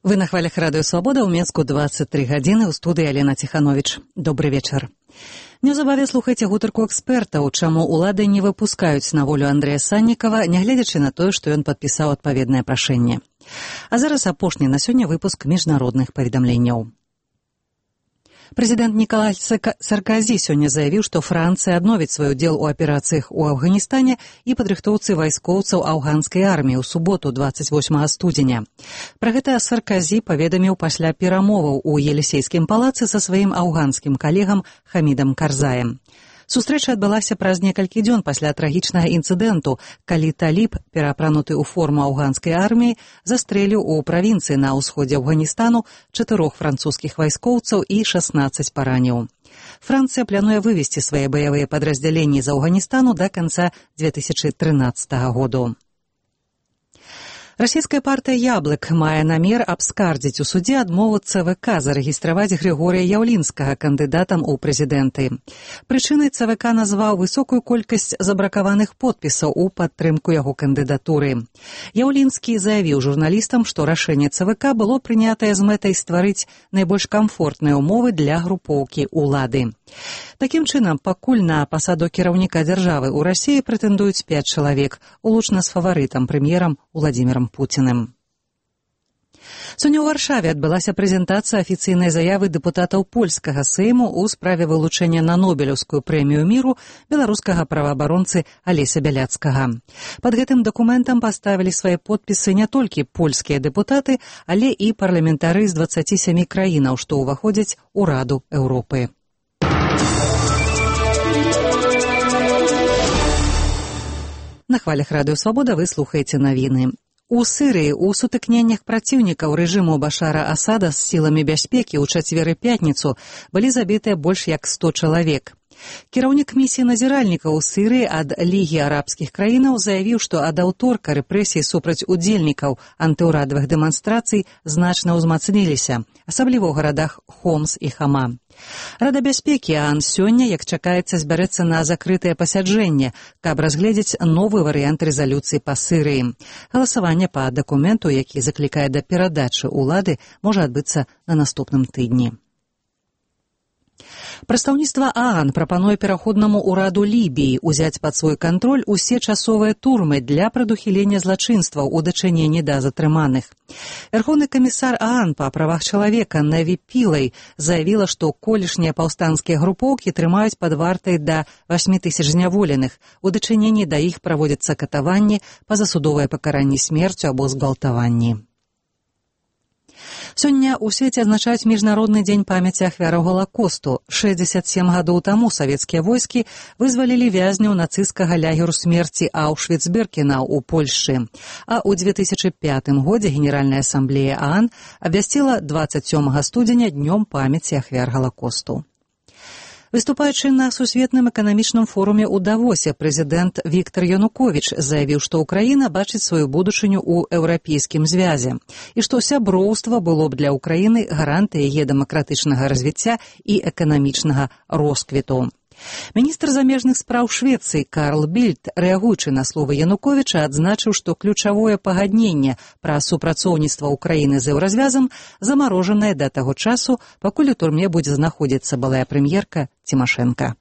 Вы на хвалях Радыё Свабода, ў Мінску 23 гадзіны, у студыі Алена Ціхановіч. Добры вечар. Неўзабаве слухайце гутарку экспертаў, чаму улады не выпускаюць на волю Андрэя Саннікава, нягледзячы на тое, што ён падпісаў адпаведнае прашэнне. А зараз апошні на сёння выпуск міжнародных паведамленняў. Прэзідэнт Нікалай Сарказі сёння заявіў, што Францыя адновіць свой удзел у аперацыях у Афганістане і падрыхтоўцы вайскоўцаў афганскай арміі ў суботу 28 студзеня. Пра гэта Сарказі паведаміў пасля перамоваў у Елісейскім палацы са сваім афганскім калегам Хамідам Карзаем. Сустрэча адбылася праз некалькі дзён пасля трагічнага інцыдэнту, калі таліб, пераапрануты ў форму афганскай арміі, застрэліў у правінцыі на ўсходзе Афганістану 4 французскіх вайскоўцаў і 16 параніў. Францыя плануе вывесці свае баявыя падраздзяленні з Афганістану да канца 2013 году. Расійская партыя «Яблык» мае намер абскардзіць у судзе адмову ЦВК зарэгістраваць Григорія Яўлінскага кандыдатам у прэзідэнты. Прычынай ЦВК назваў высокую колькасць забракаваных подпісаў у падтрымку яго кандыдатуры. Яўлінскі заявіў журналістам, што рашэнне ЦВК было прынятае з мэтай стварыць найбольш камфортныя ўмовы для групоўкі ўлады. Такім чынам, пакуль на пасаду кіраўніка дзяржавы ў Расіі прэтэндуюць 5 чалавек, улучна з фаварытам, прэм'ерам Уладзімірам Пуціным. Сёння ў Варшаве адбылася прэзентацыя афіцыйнай заявы дэпутатаў польскага сейму ў справе вылучэння на Нобелеўскую прэмію міру беларускага праваабаронцы Алеся Бяляцкага. Пад гэтым дакументам паставілі свае подпісы не толькі польскія дэпутаты, але і парламентары з 27 краінаў, што ўваходзяць у Раду Еўропы. На хвалях Радыё Свабода вы слухаеце навіны. У Сірыі ў сутыкненнях праціўнікаў рэжыму Башара Асада з сіламі бяспекі ў чацвер і пятніцу былі забітыя больш як 100 чалавек. Кіраўнік місіі назіральнікаў у Сірыі ад Лігі арабскіх краінаў заявіў, што ад аўторка рэпрэсій супраць удзельнікаў антыўрадавых дэманстрацый значна ўзмацніліся, асабліва ў гарадах Хомс і Хама. Рада бяспекі ААН сёння, як чакаецца, збярэцца на закрытае пасяджэнне, каб разгледзець новы варыянт рэзалюцыі па Сірыі. Галасаванне па дакументу, які заклікае да перадачы ўлады, можа адбыцца на наступным тыдні. Прадстаўніцтва ААН прапануе пераходнаму ўраду Лібіі ўзяць пад свой кантроль усе часовыя турмы для прадухілення злачынстваў у дачыненні да затрыманых. Верховны камісар ААН па правах чалавека Наві Пілай заявіла, што колішнія паўстанцкія групоўкі трымаюць пад вартай да 8 000 зняволеных. У дачыненні да іх праводзяцца катаванні, пазасудовае пакаранне смерцю або згвалтаванні. Сёння ў свеце адзначаюць міжнародны дзень памяці ахвяраў Галакосту. 67 гадоў таму савецкія войскі вызвалілі вязняў нацысцкага лагеру смерці Аўшвіц-Біркенау у Польшчы. А ў 2005 годзе Генеральная асамблея ААН абвясціла 27 студзеня днём памяці ахвяр Галакосту. Выступаючы на сусветным эканамічным форуме ў Давосе, прэзідэнт Віктар Януковіч заявіў, што Ўкраіна бачыць сваю будучыню ў еўрапейскім звязе і што сяброўства было б для Ўкраіны гарантыяй яе дэмакратычнага развіцця і эканамічнага росквіту. Міністр замежных спраў Швецыі Карл Більд, рэагуючы на словы Януковіча, адзначыў, што ключавое пагадненне пра супрацоўніцтва Ўкраіны з еўразвязам замарожанае да таго часу, пакуль у турме будзе знаходзіцца былая прэм'ерка Цімашэнка.